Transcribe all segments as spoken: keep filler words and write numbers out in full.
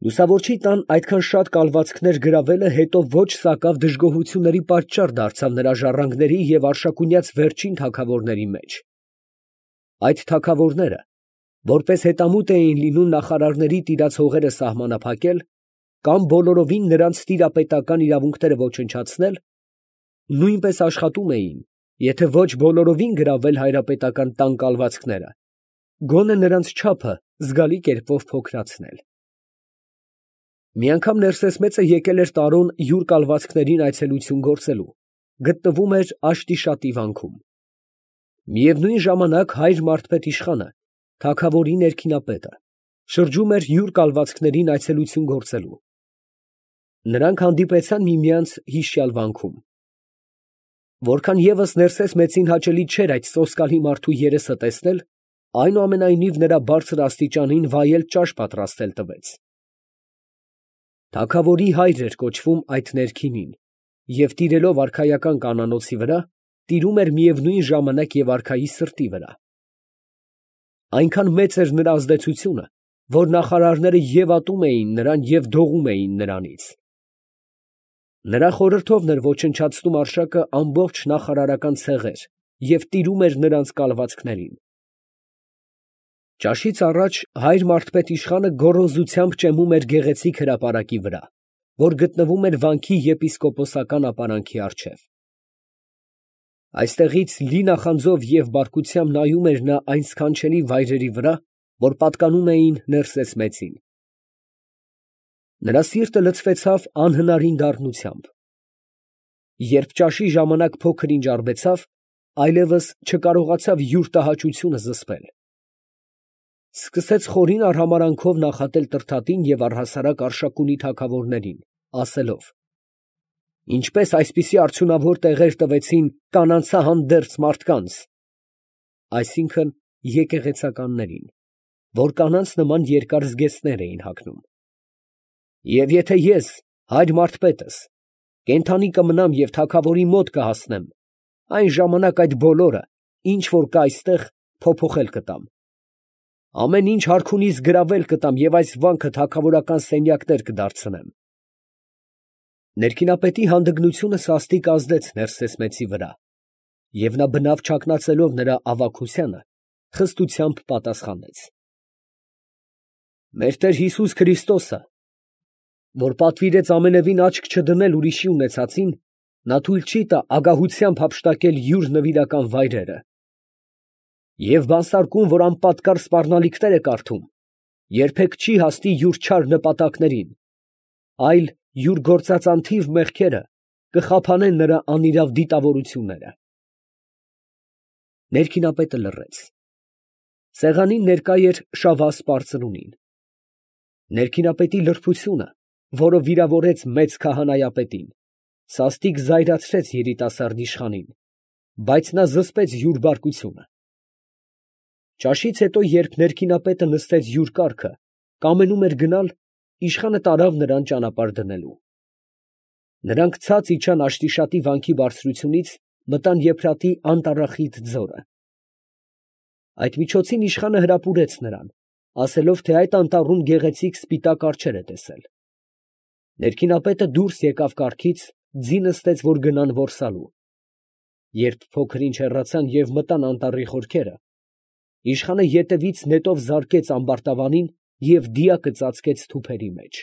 Լուսավորչի տան այդքան շատ կալվածքներ գրավելը հետո ոչ սակավ դժգոհությունների պատճառ դարձավ նրա ժառանգների և Արշակունյաց վերջին թագավորների մեջ. այդ թագավորները, որպես հետամուտ էին լինում նախարարների տիրած հողերը սահմանափակել, կամ բոլորովին նրանց տիրապետական իրավունքները ոչնչացնել, նույնպես աշխատում էին, եթե ոչ բոլորովին գրավել հայրապետական տան կալվածքները, գոնե նրանց չափը զգալի կերպով փոքրացնել։ Մի անգամ Ներսես մեծը եկել էր Տարոն յուր կալվածքներին այցելություն գործելու, գտնվում էր Աշտիշատի վանքում։ Միևնույն ժամանակ հայր Մարդպետ իշխանը, թագավորի ներքինապետը, շրջում էր յուր կալվածքներին այցելություն գործելու։ Նրանք հանդիպեցան միմյանց հիշյալ վանքում։ Որքան ևս Ներսես մեծին հաճելի չէր այդ սոսկալի մարդու երեսը տեսնել, այնուամենայնիվ նրա բարձր աստիճանին վայել ճաշ պատրաստել տվեց։ Թագավորի հայր էր կոչվում այդ ներքինին և տիրելով արքայական կանանոցի վրա, տիրում էր միևնույն ժամանակ և արքայի սրտի վրա։ Այնքան մեծ էր նրա ազդեցությունը, որ նախարարները և ատում էին նրան և դողում էին նրանից։ Նրա խորհրդովն էր ոչնչացնում արշակը ամբողջ նախարարական ցեղեր և տիրում էր նրանց կալվածքներին։ Ճաշից առաջ հայր Մարդպետ իշխանը գոռոզությամբ ճեմում էր գեղեցիկ հրապարակի վրա, որ գտնվում էր վանքի եպիսկոպոսական ապարանքի առջև։ Այստեղից լի նախանձով և բարկությամբ նայում էր նա այն սքանչելի վայրերի վրա, որ պատկանում էին Ներսես մեծին։ Նրա սիրտը լցվեցավ անհնարին դառնությամբ։ Երբ ճաշի ժամանակ փոքր ինչ արբեցավ, այլևս չկարողացավ յուր տհաճությունը զսպել։ Սկսեց խորին արհամարանքով նախատել Տրդատին և առհասարակ Արշակունի թագավորներին, ասելով. «Ինչպես այսպիսի արդյունավոր տեղեր տվեցին կանանցահանդերձ մարդկանց (այսինքն եկեղեցականներին), որ կանանց նման երկար զգեստներ էին հագնում. և եթե ես, հայր Մարդպետս, կենդանի կմնամ և թագավորի մոտ կհասնեմ, այն ժամանակ այդ բոլորը, ինչ որ կա այստեղ, փոփոխել կտամ. ամեն ինչ հարքունիս գրավել կտամ և այս վանքը թագավորական սենյակներ կդարձնեմ»։ Ներքինապետի հանդգնությունը սաստիկ ազդեց Ներսես մեծի վրա, և նա բնավ չակնածելով նրա ավագությանը, խստությամբ պատասխանեց. «Մեր Տեր Հիսուս Քրիստոսը, որ պատվիրեց ամենևին աչք չդնել ուրիշի ունեցածին, նա թույլ չի տա ագահությամբ հափշտակել յուր նվիրական վայրերը։ Եվ բանսարկուն, որ անպատկառ սպառնալիքներ է կարդում, երբեք չի հասնի յուր չար նպատակներին, այլ յուր գործած անթիվ մեղքերը կխափանեն նրա անիրավ դիտավորությունները»։ Ներքինապետը լռեց։ Սեղանին ներկա էր Շավահ սպարծնունին։ Ներքինապետի լրբությունը, որը վիրավորեց մեծ քահանայապետին, սաստիկ զայրացրեց երիտասարդ իշխանին, բայց նա զսպեց յուր բարկությունը։ Ճաշից հետո, երբ ներքինապետը նստեց յուր կառքը, կամենում էր գնալ, իշխանը տարավ նրան ճանապարհ դնելու։ Նրանք ցած իջան Աշտիշատի վանքի բարձրությունից, մտան Եփրատի անտառախիտ ձորը։ Այդ միջոցին իշխանը հրապուրեց նրան, ասելով, թե այդ անտառում գեղեցիկ սպիտակ արջեր է տեսել։ Ներքինապետը դուրս եկավ կառքից, ձի նստեց, որ գնան որսալու։ Երբ փոքր ինչ հեռացան և մտան անտառի խորքերը, իշխանը ետևից նետով զարկեց ամբարտավանին և դիակը ծածկեց թուփերի մեջ։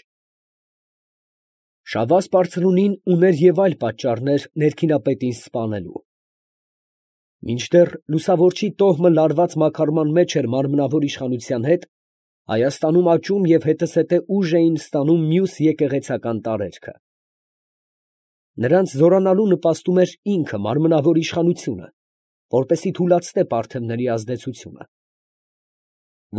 Շավահ սպարծնունին ուներ և այլ պատճառներ ներքինապետին սպանելու։ Մինչդեռ լուսավորչի տոհմը լարված մաքարման մեջ էր մարմնավոր իշխանության հետ, Հայաստանում աճում և հետզհետե ուժ էին ստանում մյուս եկեղեցական տարերքը։ Նրանց զորանալու նպաստում էր ինքը մարմնավոր իշխանությունը, որպեսզի թուլացնե պարթևների ազդեցությունը։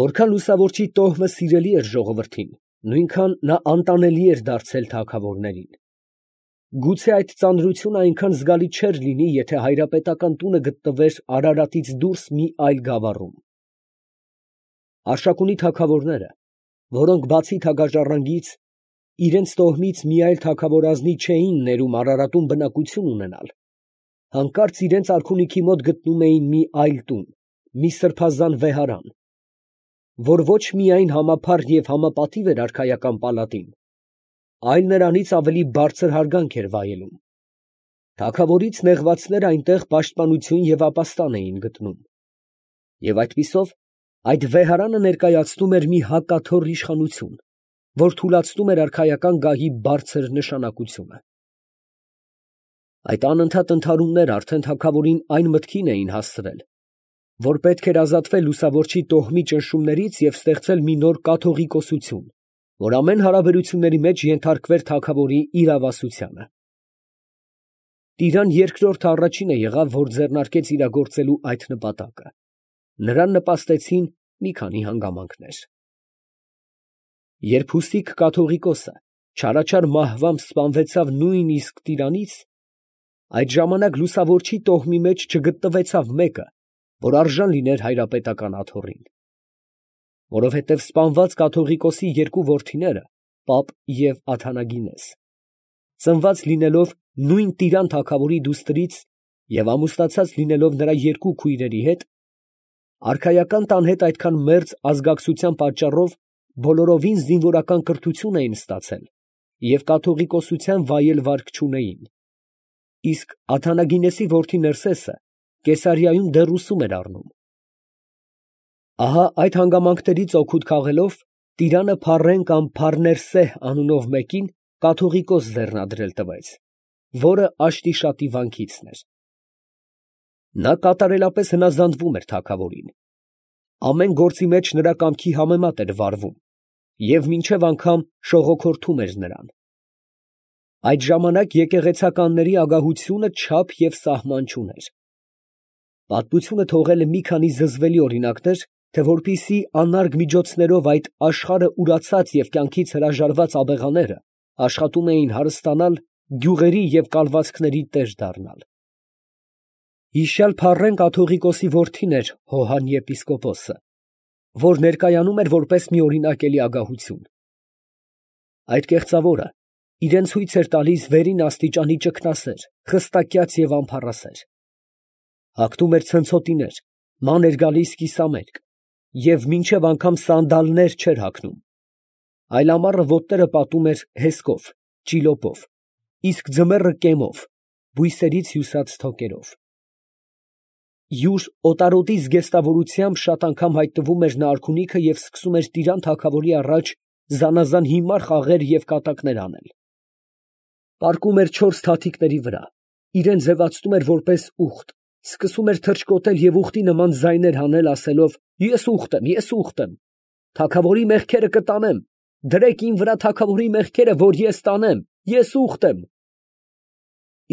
Որքան լուսավորչի տոհմը սիրելի էր ժողովրդին, նույնքան նա անտանելի էր դարձել թագավորներին։ Գուցե այդ ծանրությունը այնքան զգալի չէր լինի, եթե հայրապետական տունը գտնվեր Արարատից դուրս մի այլ գավառում։ Արշակունի թագավորները, որոնք բացի թագաժառանգից, իրենց տոհմից մի այլ թագավորազնի չէին ներում Արարատում բնակություն ունենալ, հանկարծ իրենց արքունիքի մոտ գտնում էին մի այլ տուն, մի սրբազան վեհարան, որ ոչ միայն համափառ և համապատիվ էր արքայական պալատին, այլ նրանից ավելի բարձր հարգանք էր վայելում. թագավորից նեղվածները այնտեղ պաշտպանություն և ապաստան էին գտնում, և այդպիսով այդ վեհարանը ներկայացնում էր մի հակաթոռ իշխանություն, որ թուլացնում էր արքայական գահի բարձր նշանակությունը։ Այդ անընդհատ ընդհարումները արդեն թագավորին այն մտքին էին հասցրել, որ պետք էր ազատվել լուսավորչի տոհմի ճնշումներից և ստեղծել մի նոր կաթողիկոսություն, որ ամեն հարաբերությունների մեջ ենթարկվեր թագավորի իրավասությանը։ Տիրան երկրորդը առաջինը եղավ, որ ձեռնարկեց իրագործելու այդ նպատակը. նրան նպաստեցին մի քանի հանգամանքներ։ Երբ Հուսիկ կաթողիկոսը չարաչար մահվամբ սպանվեցավ նույնիսկ Տիրանից, այդ ժամանակ լուսավորչի տոհմի մեջ չգտնվեցավ մեկը, որ արժան լիներ հայրապետական աթոռին, որովհետև սպանված կաթողիկոսի երկու որդիները, Պապ և Աթանագինես, ծնված լինելով նույն Տիրան թագավորի դուստրից և ամուսնացած լինելով նրա երկու քույրերի հետ, արքայական տան հետ այդքան մերձ ազգակցության պատճառով բոլորովին զինվորական կրթություն էին ստացել և կաթողիկոսության վայել վարկ չունեին, իսկ Աթանագինեսի որդի Ներսեսը Կեսարիայում դեռ ուսում էր առնում։ Ահա այդ հանգամանքներից օգուտ քաղելով, Տիրանը Փառեն կամ Փառներսեհ անունով մեկին կաթողիկոս ձեռնադրել տվեց, որը Աշտիշատի վանքիցն էր։ Նա կատարելապես հնազանդվում էր թագավորին, ամեն գործի մեջ նրա կամքի համեմատ էր վարվում և մինչև անգամ շողոքորթում էր նրան։ Այդ ժամանակ եկեղեցականների ագահությունը չափ և սահման չուներ։ Պատմությունը թողել է մի քանի զզվելի օրինակներ, թե որպեսզի անարգ միջոցներով այդ աշխարհը ուրացած և կյանքից հրաժարված աբեղաները աշխատում էին հարստանալ, գյուղերի և կալվածքների տեր դառնալ։ Հիշյալ Փառեն կաթողիկոսի որդին էր Հոհան եպիսկոպոսը, որ ներկայանում էր որպես մի օրինակելի ագահություն։ Այդ կեղծավորը իրան ցույց էր տալիս վերին աստիճանի ճգնասեր, խստակյաց և ամփառասեր։ Հագնում էր ցնցոտիներ, ման էր գալիս կիսամերկ և մինչև անգամ սանդալներ չէր հագնում, այլ ամառը ոտները պատում էր հեսկով, ճիլոպով, իսկ ձմեռը կեմով, բույսերից հյուսած թոկերով։ Յուր օտարոտի զգեստավորությամբ շատ անգամ հայտնվում էր նա արքունիքը և սկսում էր Տիրան թագավորի առաջ զանազան հիմար խաղեր և կատակներ անել։ Պառկում էր չորս թաթիկների վրա, իրան ձևացնում էր որպես ուղտ, սկսում էր թռչկոտել և ուղտի նման ձայներ հանել, ասելով. «Ես ուղտ եմ, ես ուղտ եմ, թագավորի մեղքերը կտանեմ, դրեք իմ վրա թագավորի մեղքերը, որ ես տանեմ, ես ուղտ եմ»։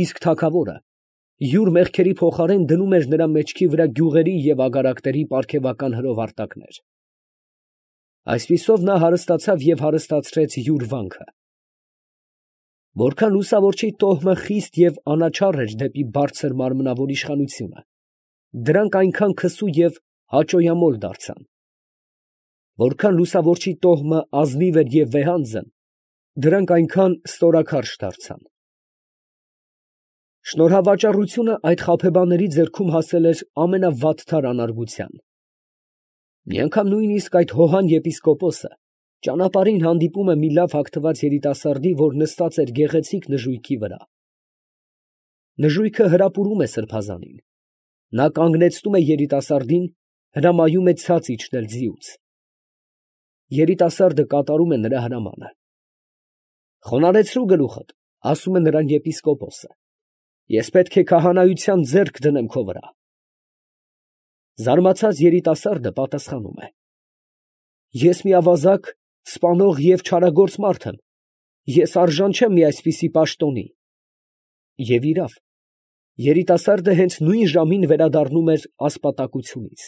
Իսկ թագավորը յուր մեղքերի փոխարեն դնում էր նրա մեջքի վրա գյուղերի և ագարակների պարգևական հրովարտակներ։ Այսպիսով նա հարստացավ և հարստացրեց յուր վանքը։ Որքան լուսավորչի տոհմը խիստ և անաչառ էր դեպի բարձր մարմնավոր իշխանությունը, դրանք այնքան քսու և հաճոյամոլ դարձան։ Որքան լուսավորչի տոհմը ազնիվ էր և վեհանձն, դրանք այնքան ստորաքարշ դարձան։ Շնորհավաճառությունը այդ խաբեբաների ձեռքում հասել էր ամենավատթար անարգության։ Մի անգամ նույնիսկ այդ Հոհան եպիսկոպոսը ճանապարհին հանդիպում է մի լավ հագնված երիտասարդի, որ նստած էր գեղեցիկ նժույգի վրա։ Նժույգը հրապուրում է սրբազանին։ Նա կանգնեցնում է երիտասարդին, հրամայում է ցած իջնել ձիուց։ Երիտասարդը կատարում է նրա հրամանը։ «Խոնարհեցրու գլուխդ», ասում է նրան եպիսկոպոսը, «ես պետք է քահանայության ձեռք դնեմ քո վրա»։ Զարմացած երիտասարդը պատասխանում է. «Ես մի ավազակ, սպանող և չարագործ մարդ եմ, ես արժան չեմ մի այսպիսի պաշտոնի»։ Եվ իրավ, երիտասարդը հենց նույն ժամին վերադառնում էր ասպատակությունից։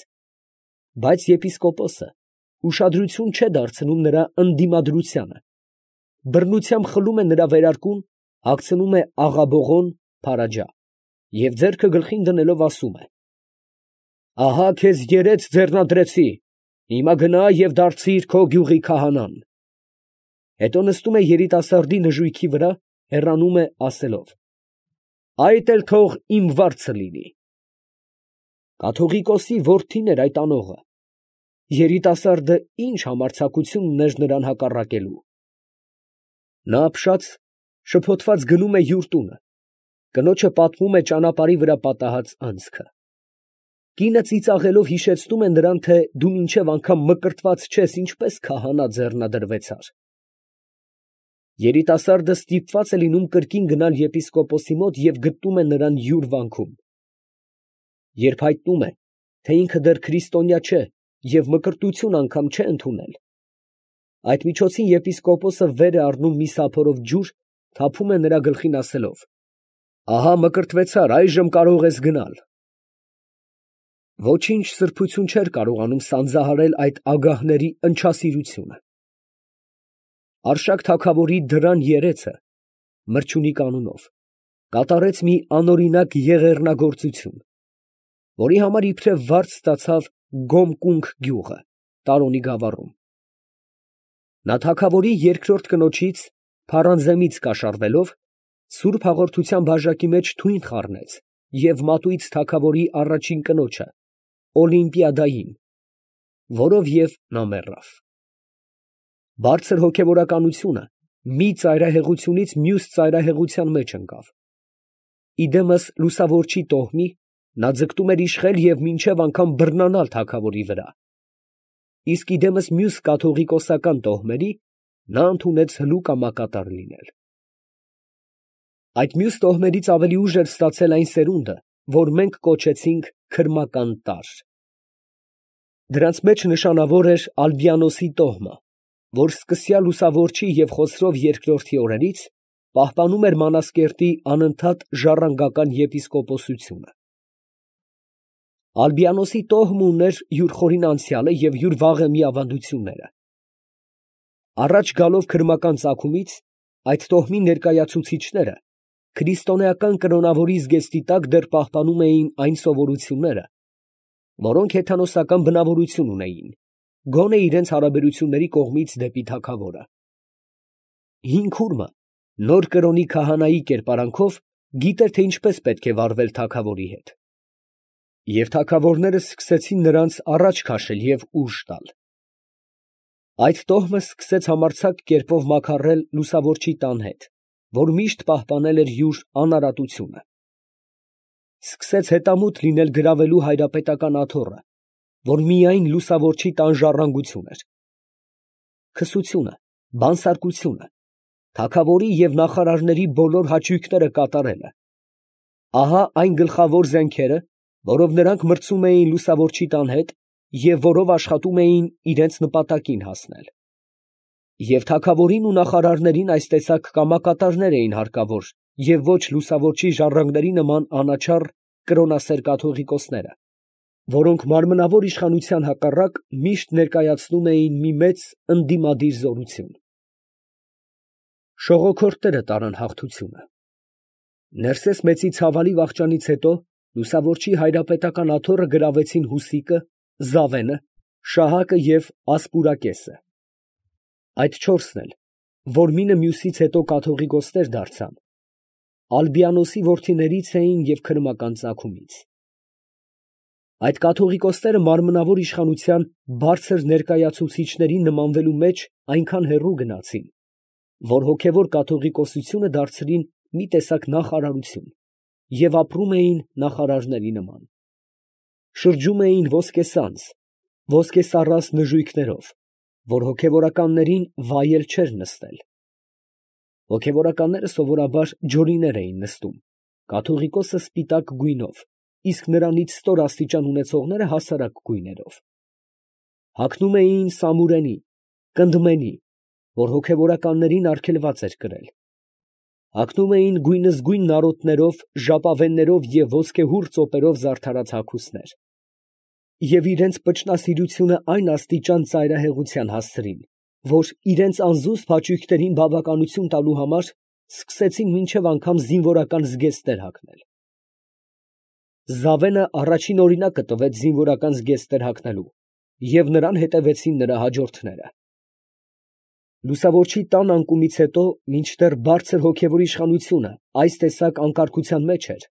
Բայց եպիսկոպոսը ուշադրություն չէ դարձնում նրա ընդդիմադրությանը, բռնությամբ խլում է նրա վերարկուն, հագցնում է աղաբողոն (փարաջա) և ձեռքը գլխին դնելով ասում է. «Ահա քեզ երեծ ձեռնադրեցի, հիմա գնա և դարձիր քո գյուղի քահանան»։ Հետո նստում է երիտասարդի նժույգի վրա, հեռանում է, ասելով. «Այդ էլ թող իմ վարձը լինի»։ Կաթողիկոսի որդին էր այդ անողը, երիտասարդը ինչ համարձակություն ուներ նրան հակառակելու։ Նա ապշած, շփոթված գնում է յուր տունը, կնոջը պատմում է ճանապարհի վրա պատահած անցքը։ Կինը ծիծաղելով հիշեցնում է նրան, թե դու մինչև անգամ մկրտված չես, ինչպես քահանա ձեռնադրվեցար։ Երիտասարդը ստիպված է լինում կրկին գնալ եպիսկոպոսի մոտ և գտնում է նրան յուր վանքում։ Երբ հայտնում է, թե ինքը դեռ քրիստոնյա չէ և մկրտություն անգամ չէ ընդունել, այդ միջոցին եպիսկոպոսը վեր է առնում մի սափորով ջուր, թափում է նրա գլխին ասելով. «Ահա մկրտվեցար, այժմ կարող ես գնալ»։ Ոչինչ սրբություն չէր կարողանում սանձահարել այդ ագահների ընչասիրությունը։ Արշակ թագավորի դռան երեցը, Մրջունի կանունով, կատարեց մի անօրինակ եղեռնագործություն, որի համար իբրև վարձ ստացավ Գոմկունք գյուղը, Տարոնի գավառում։ Նա թագավորի երկրորդ կնոջից՝ Փարանզեմից կաշառվելով, սուրբ հաղորդության բաժակի մեջ թույն խառնեց և մատույց թագավորի առաջին կնոջը, Օլիմպիադային, որով և նա մեռավ։ Բարձր հոգևորականությունը մի ծայրահեղությունից մյուս ծայրահեղության մեջ ընկավ։ Իդեմս լուսավորչի տոհմի, նա ձգտում էր իշխել և մինչև անգամ բռնանալ թագավորի վրա, իսկ իդեմս մյուս կաթողիկոսական տոհմերի, նա ընդունեց հլու կամակատար լինել։ Այդ մյուս տոհմերից ավելի ուժ էր ստացել այն սերունդը, որ մենք կոչեցինք քրմական տարր։ Դրանց մեջ նշանավոր էր Ալբիանոսի տոհմը, որ սկսյալ լուսավորչի և Խոսրով երկրորդի օրերից պահպանում էր Մանասկերտի անընդհատ ժառանգական եպիսկոպոսությունը։ Ալբիանոսի տոհմը ուներ յուր խորին անցյալը և յուր վաղեմի ավանդությունները։ Առաջ գալով քրմական ծագումից, այդ տոհմի ներկայացուցիչները քրիստոնեական կրոնավորի զգեստի տակ դեռ պահպանում էին այն սովորությունները, որոնք հեթանոսական բնավորություն ունեին, գոնե իրենց հարաբերությունների կողմից դեպի թագավորը։ Հին քուրմը նոր կրոնի քահանայի կերպարանքով գիտեր, թե ինչպես պետք է վարվել թագավորի հետ։ Եվ թագավորները սկսեցին նրանց առաջ քաշել և ուժ տալ։ Այդ տոհմը սկսեց համարձակ կերպով մաքարել լուսավորչի տան հետ, որ միշտ պահպանել էր յուր անարատությունը։ Սկսեց հետամուտ լինել գրավելու հայրապետական աթոռը, որ միայն լուսավորչի տան ժառանգություն էր։ Քսությունը, բանսարկությունը, թագավորի և նախարարների բոլոր հաճույքները կատարելը, ահա այն գլխավոր զենքերը, որով նրանք մրցում էին լուսավորչի տան հետ և որով աշխատում էին իրենց նպատակին հասնել։ Եվ թագավորին ու նախարարներին այս տեսակ կամակատարներ էին հարկավոր և ոչ լուսավորչի ժառանգների նման անաչառ կրոնասեր կաթողիկոսները, որոնք մարմնավոր իշխանության հակառակ միշտ ներկայացնում էին մի մեծ ընդդիմադիր զորություն։ Շողոքորթները տարան հաղթությունը։ Ներսես մեծի ցավալի վախճանից հետո լուսավորչի հայրապետական աթոռը գրավեցին Հուսիկը, Զավենը, Շահակը և Ասպուրակեսը։ Այդ չորսն էլ, որ մինը մյուսից հետո կաթողիկոսներ դարձան, Ալբիանոսի որդիներից էին և քրմական ծագումից։ Այդ կաթողիկոսները մարմնավոր իշխանության բարձր ներկայացուցիչների նմանվելու մեջ այնքան հեռու գնացին, որ հոգևոր կաթողիկոսությունը դարձրին մի տեսակ նախարարություն և ապրում էին նախարարների նման։ Շրջում էին ոսկեսանձ, ոսկեսառած նժույգներով, որ հոգևորականներին վայել չէր նստել։ Հոգևորականները սովորաբար ջորիներ էին նստում, կաթողիկոսը սպիտակ գույնով, իսկ նրանից ստոր աստիճան ունեցողները հասարակ գույներով։ Հագնում էին սամուրենի, կնդմենի, որ հոգևորականներին արգելված էր կրել։ Հագնում էին գույնզգույն նարոտներով, ժապավեններով և ոսկեհուռ ծոպերով զարդարած հագուստներ, և իրենց պճնասիրությունը այն աստիճան ծայրահեղության հասցրին, որ իրենց անզուսպ հաճույքներին բավականություն տալու համար սկսեցին մինչև անգամ զինվորական զգեստներ հագնել։ Զավենը առաջին օրինակը տվեց զինվորական զգեստներ հագնելու, և նրան հետևեցին նրա հաջորդները։ Լուսավորչի տան անկումից հետո, մինչդեռ բարձր հոգևոր իշխանությունը այս տեսակ անկարգության մեջ էր,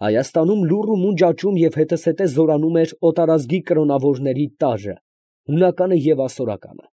Հայաստանում լուռ ու մունջ աճում և հետզհետե զորանում էր օտարազգի կրոնավորների տարրը, հունականը և ասորականը։